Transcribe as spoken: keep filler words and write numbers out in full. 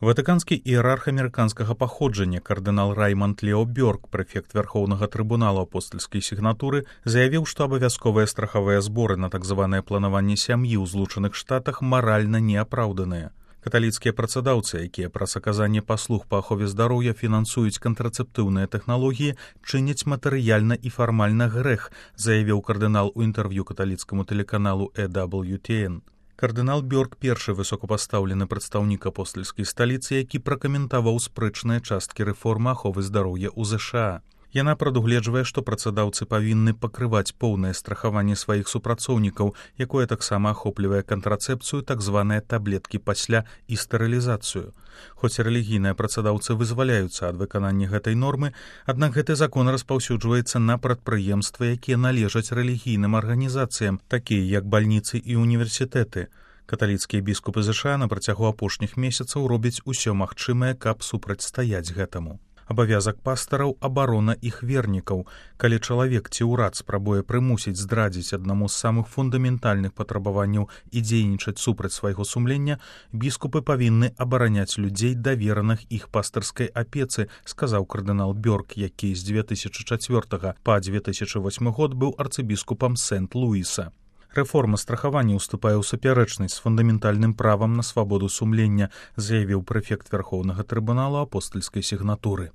Ватыканскі іерарх амерыканскага паходжання кардынал Раймонд Лео Бёрк, прэфект Вярхоўнага трыбунала апостальскай сігнатуры, заявіў, што абавязковыя страхавыя зборы на так званае планаванне сям'і ў Злучаных Штатах маральна неапраўданыя. Каталіцкія працадаўцы, якія праз аказанне паслуг па ахове здароўя фінансуюць кантрацэптыўныя тэхналогіі, чыняць матэрыяльна і фармальна грэх, заявіў кардынал у інтэрв'ю каталіцкаму тэлеканалу э дабл ю ти эн. Кардынал Бёрк першы высокапастаўлены прадстаўнік апостальскай сталіцы, які пракаментаваў спрэчныя часткі рэформы аховы здароўя ў ЗША. Яна прадугледжвае, што працадаўцы павінны пакрываць поўнае страхаванне сваіх супрацоўнікаў, якое таксама ахоплівае кантрацэпцыю, так званыя таблеткі пасля і стэрылізацыю. Хоць рэлігійныя працадаўцы вызваляюцца ад выканання гэтай нормы, аднак гэты закон распаўсюджваецца на прадпрыемствы, якія належаць рэлігійным арганізацыям, такія як бальніцы і універсітэты. Каталіцкія біскупы ЗША на працягу апошніх месяцаў робяць усё магчымае, каб супрацьстаяць гэтаму. Абавязак пастараў абарона іх вернікаў. Калі чалавек ці ўрад спрабуе прымусіць здрадзіць аднаму з самых фундаментальных патрабаванняў і дзейнічаць супраць свайго сумлення, біскупы павінны абараняць людзей, давераных іх пастарскай апецы, сказаў кардынал Бёрк, які з дзве тысячы чацвёртага па дзве тысячы восьмы год быў арцыбіскупам Сент-Луіса. Рэформа страхавання ўступае ў супярэчнасць з фундаментальным правам на свабоду сумлення, заявіў прэфект Вярхоўнага трыбунала апостальскай сігнатуры.